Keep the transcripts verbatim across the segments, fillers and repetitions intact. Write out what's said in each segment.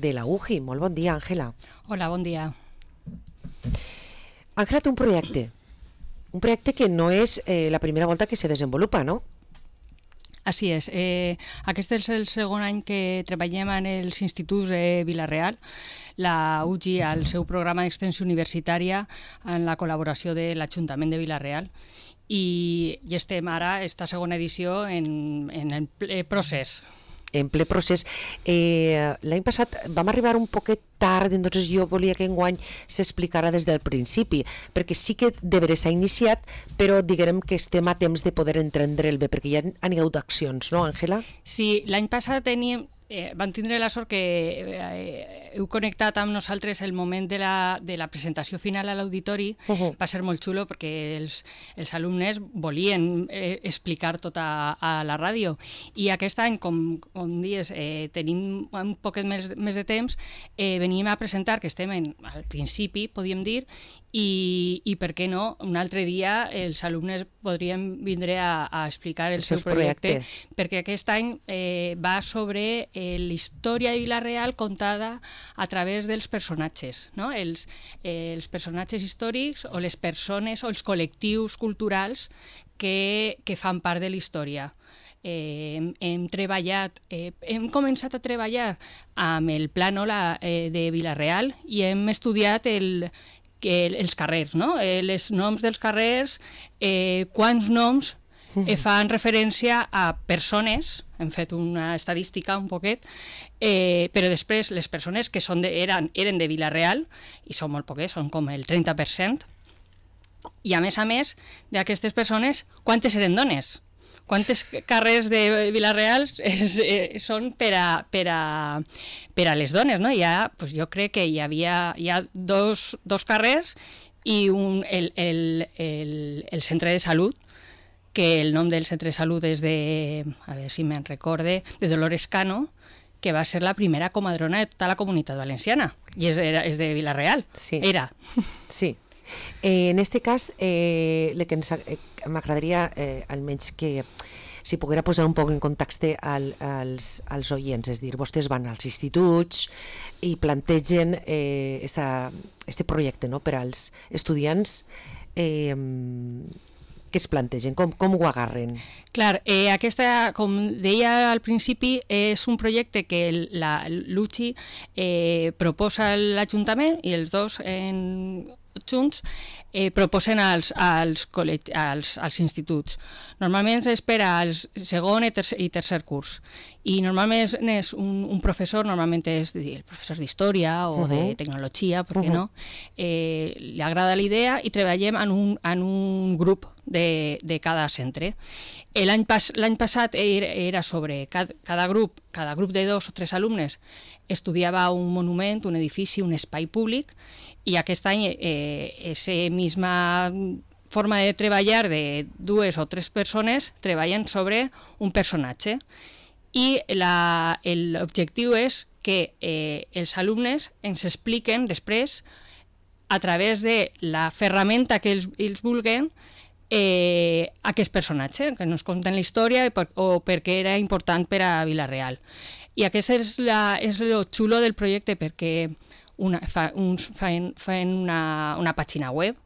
de la U G I. Molt bon dia, Àngela. Hola, bon dia. Àngela té un projecte, un projecte que no és eh, la primera volta que se desenvolupa, no? Així és. Eh, aquest és el segon any que treballem en els instituts de Vila-real. La U G I, al seu programa d'extensió universitària, en la col·laboració de l'Ajuntament de Vila-real. I, i estem ara, esta segona edició, en, en el ple procés. En ple procés. Eh, L'any passat vam arribar un poquet tard, entonces jo volia que enguany s'explicara des del principi, perquè sí que de veres s'ha iniciat, però diguem que estem a temps de poder entendre'l bé, perquè ja han hagut accions, no, Àngela? Sí, l'any passat teníem... Eh, van tindre la sort que eh, heu connectat amb nosaltres el moment de la, de la presentació final a l'auditori. Uh-huh. Va ser molt xulo perquè els, els alumnes volien eh, explicar tot a, a la ràdio, i aquest any, com, com dius, eh, tenim un poquet més, més de temps, eh, venim a presentar, que estem en, al principi, podríem dir, i, i per què no, un altre dia els alumnes podrien vindre a, a explicar el els seu projecte, projectes. Perquè aquest any eh, va sobre eh, la història de Vila-real contada a través dels personatges, no? Els, eh, els personatges històrics o les persones o els col·lectius culturals que, que fan part de la història. Eh, hem, hem treballat, eh, hem començat a treballar amb el plànol eh, de Vila-real i hem estudiat el que els carrers, no? Eh, els noms dels carrers, eh, quants noms eh, fan referència a persones, hem fet una estadística un poquet, eh, però després les persones que són de, eren, eren de Vila-real, i són molt poques, són com el trenta per cent, i a més a més d'aquestes persones, quantes eren dones? Quantes carrers de Vila-real és, eh, són per a, per, a, per a les dones, no? Hi ha, pues jo crec que hi havia hi ha dos, dos carrers i un, el, el, el, el centre de salut, que el nom del centre de salut és de, a veure si me'n recorde, de Dolores Cano, que va ser la primera comadrona de tota la comunitat valenciana, i és, era, és de Vila-real. Sí. Era. Sí. Eh, en este cas, eh, el que ens, eh, m'agradaria eh, almenys que si poguera posar un poc en context al, als, als oients, és dir, vostès van als instituts i plantegen eh, esta, este projecte, no?, per als estudiants. Eh, què es plantegen? Com, com ho agarren? Clar, eh, aquesta, com deia al principi, és un projecte que l'U G I eh, proposa a l'Ajuntament i els dos en junts eh, proposen als, als, als, als instituts. Normalment es per als segon i tercer, i tercer curs, i normalment és un, un professor, normalment és el professor d'història o uh-huh. de tecnologia, per què uh-huh. no? Eh, li agrada la idea i treballem en un, en un grup de, de cada centre. L'any pas, l'any passat era, era sobre cada, cada grup, cada grup de dos o tres alumnes estudiava un monument, un edifici, un espai públic, i aquest any eh, esa misma forma de treballar de dues o tres persones treballen sobre un personatge, i la, l'objectiu és que eh, els alumnes ens expliquen després, a través de la ferramenta que ells, ells vulguen, eh, aquest personatge, que ens conten la història per, o per què era important per a Vila-real. I aquest és, la, és lo xulo del projecte, perquè una, fa, uns fan, fan una, una pàgina web,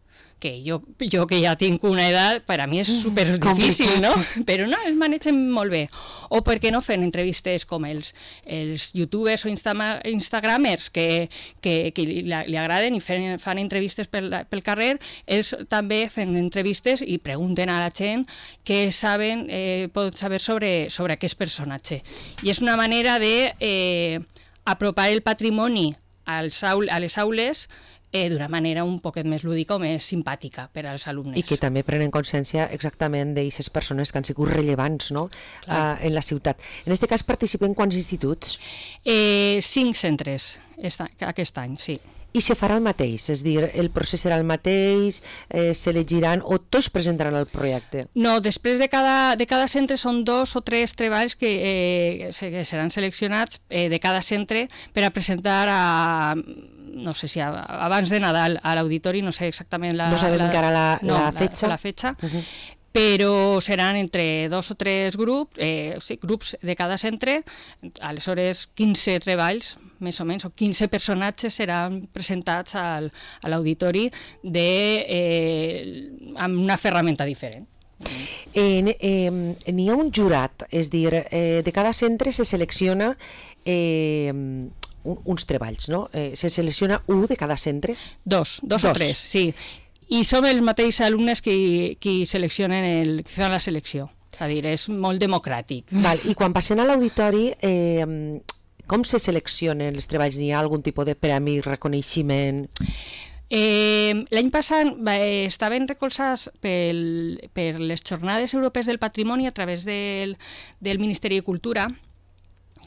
que jo, jo que ja tinc una edat, per a mi és super difícil, no? Però no, es manegen molt bé. O per què no fent entrevistes com els, els youtubers o insta, instagramers que, que, que li, li agraden i fan, fan entrevistes pel, pel carrer, ells també fan entrevistes i pregunten a la gent què saben, eh, poden saber sobre, sobre aquest personatge. I és una manera de eh, apropar el patrimoni als aul, a les aules Eh, d'una manera un poquet més lúdica o més simpàtica per als alumnes. I que també prenen consciència exactament d'aquestes persones que han sigut rellevants, no?, uh, en la ciutat. En aquest cas participen quants instituts? Eh, cinc centres esta, aquest any, sí. I se farà el mateix? És dir, el procés serà el mateix, eh, s'elegiran o tots presentaran el projecte? No, després de cada, de cada centre són dos o tres treballs que, eh, que seran seleccionats eh, de cada centre per a presentar a... no sé si abans de Nadal a l'auditori, no sé exactament la... No sabem la, encara la, no, la fetxa? La, la fetxa. Uh-huh. però seran entre dos o tres grups, eh, sí, grups de cada centre, aleshores quinze treballs, més o menys, o quinze personatges seran presentats al, a l'auditori de, eh, amb una ferramenta diferent. Eh, eh, n'hi ha un jurat, és dir, eh, de cada centre se selecciona eh, un, uns treballs, no? Eh, se selecciona un de cada centre? Dos, dos, dos. o tres, sí. I som els mateixos alumnes qui, qui seleccionen el, qui fan la selecció. És a dir, és molt democràtic. Val, i quan passen a l'auditori, eh, com se seleccionen els treballs? N'hi ha algun tipus de premi, reconeixement? Eh, L'any passat va, eh, estaven recolzats pel, per les Jornades Europees del Patrimoni a través del, del Ministeri de Cultura,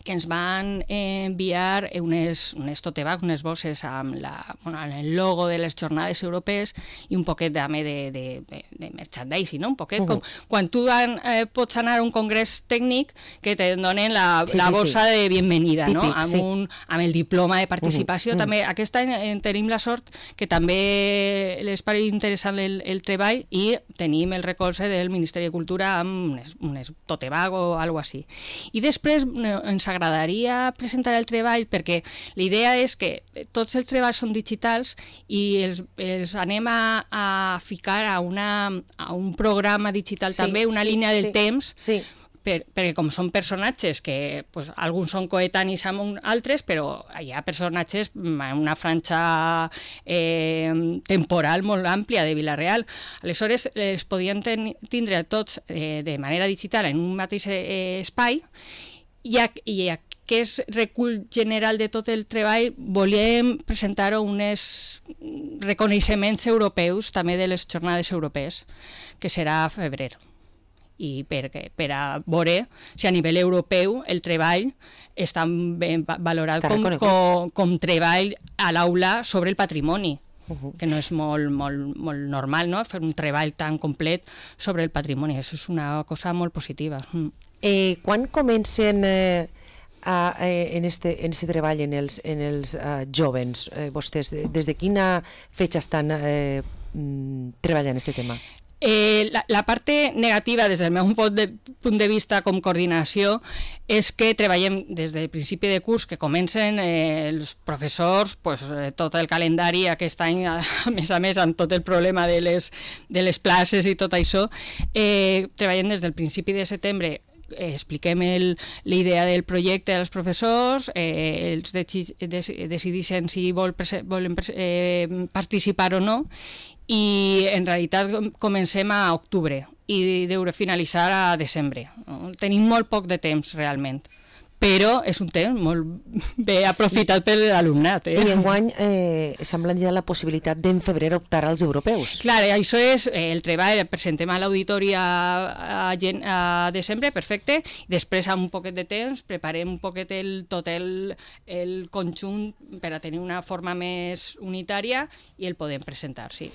que ens van enviar unes, unes tote bags, unes bosses amb, la, bueno, amb el logo de les jornades europees i un poquet també de, de, de, de merchandising, no? Un poquet uh -huh. com quan tu an, eh, pots anar a un congrés tècnic que te donen la, sí, la bossa sí, sí. de bienvenida, típic, no? Amb, sí. un, amb el diploma de participació. Uh -huh. També aquest any eh, tenim la sort que també les pareix interessant el, el treball i tenim el recolze del Ministeri de Cultura amb unes, unes tote bag o alguna cosa així. I després ens agradaria presentar el treball perquè la idea és que tots els treballs són digitals i els, els anem a, a ficar a, una, a un programa digital sí, també, una sí, línia del sí, temps, sí. Per, perquè com són personatges que pues, alguns són coetanis amb altres, però hi ha personatges amb una franja eh, temporal molt àmplia de Vila-real. Aleshores, els podien ten, tindre tots eh, de manera digital en un mateix eh, espai. I, a, i aquest recull general de tot el treball volíem presentar uns reconeixements europeus també de les jornades europees, que serà a febrer. I per, per a veure si a nivell europeu el treball està ben valorat està com, com, com treball a l'aula sobre el patrimoni. Uh-huh. Que no és molt, molt, molt normal, no? Fer un treball tan complet sobre el patrimoni. Això és una cosa molt positiva. Mm. Eh, quan comencen eh, a, eh, en, este, en este treball en els, en els eh, jovens? Eh, vostès, des de quina fetge estan eh, treballant aquest tema? Eh, la, la parte negativa, des del meu punt de, punt de vista com coordinació, és que treballem des del principi de curs, que comencen eh, els professors, pues, eh, tot el calendari aquest any, a, a més a més, amb tot el problema de les, de les places i tot això, eh, treballem des del principi de setembre. Eh, expliquem el, la idea del projecte als professors, eh, els de, de, decideixen si vol, volen eh, participar o no, i en realitat comencem a octubre i deure finalitzar a desembre. No? Tenim molt poc de temps realment, però és un temps molt bé aprofitat per l'alumnat. Eh? I enguany eh, semblen ja la possibilitat d'en febrer optar als europeus. Clar, això és eh, el treball, el presentem a l'auditori a, a, a desembre, perfecte, i després amb un poquet de temps preparem un poquet el, tot el, el conjunt per a tenir una forma més unitària i el podem presentar, sí.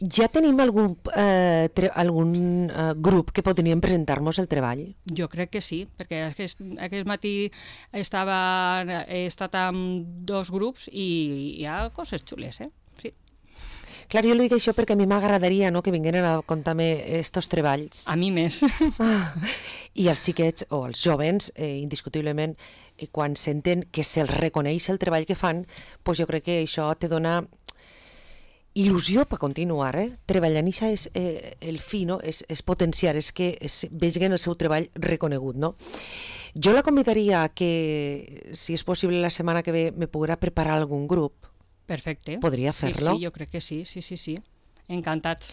Ja tenim algun, eh, tre- algun eh, grup que podríem presentar-nos el treball? Jo crec que sí, perquè aquest, aquest matí estava, he estat amb dos grups i hi ha coses xules, eh? Sí. Clar, jo li dic això perquè a mi m'agradaria, no?, que vingueren a contar-me estos treballs. A mi més. Ah, i els xiquets o els jovens, eh, indiscutiblement, eh, quan senten que se'ls reconeix el treball que fan, doncs jo crec que això te dona il·lusió per continuar, eh? Treballant això és eh, el fi, no? És, és potenciar, és que es, vegin el seu treball reconegut, no? Jo la convidaria a que, si és possible la setmana que ve, me poguera preparar algun grup. Perfecte. Podria fer-lo? Sí, sí, jo crec que sí, sí, sí, sí. Encantats.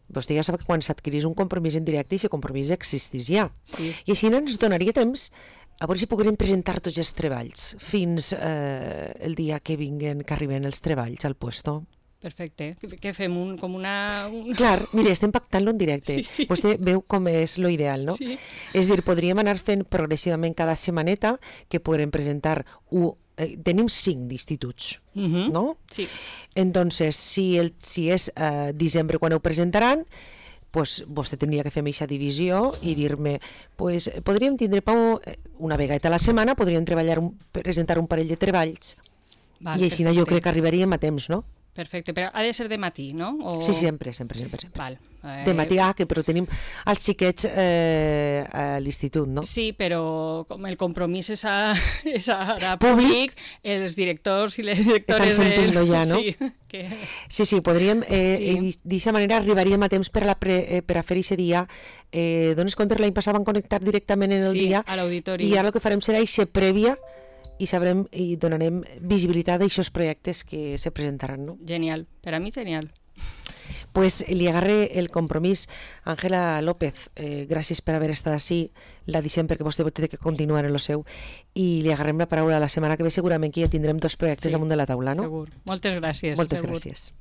Vostè ja sap que quan s'adquirís un compromís en directe, aquest compromís existís ja. Sí. I així ens donaria temps a veure si poguérem presentar tots els treballs fins eh, el dia que vinguen, que arriben els treballs al puesto. Perfecte. Què fem? Un, com una... Un... Clar, mire, estem pactant-lo en directe. Sí, sí. Vostè veu com és lo ideal, no? Sí. És dir, podríem anar fent progressivament cada setmaneta que podrem presentar un... Eh, tenim cinc d'instituts, uh-huh. no? Sí. Entonces, si, el, si és eh, desembre quan ho presentaran, pues, vostè tindria que fer aquesta divisió i dir-me, pues, podríem tindre Pau, una vegada a la setmana, podríem treballar un, presentar un parell de treballs. Val, i així perfecte. Jo crec que arribaríem a temps, no? Perfecte, però ha de ser de matí, no? O... Sí, sempre, sempre, sempre. sempre. Val. Eh... De matí, ah, que però tenim els xiquets eh, a l'institut, no? Sí, però com el compromís és, a, és ara públic, els directors i les directores... Estan sentint-lo ja, no? Sí, que... sí, sí, podríem, eh, sí. d'aquesta manera arribaríem a temps per a, la pre, eh, per a fer aquest dia. Eh, dones compte, l'any passat van connectar directament en el sí, dia. A l'auditori. I ara el que farem serà eixa prèvia i sabrem i donarem visibilitat a aquests projectes que se presentaran, no? Genial, per a mi genial. Pues li agarre el compromís. Ángela López, eh, gràcies per haver estat així, la deixem perquè vostè té que continuar en lo seu, i li agarrem la paraula la setmana que ve, segurament que ja tindrem dos projectes sí, damunt de la taula, no? Segur. Moltes gràcies. Moltes segur. gràcies.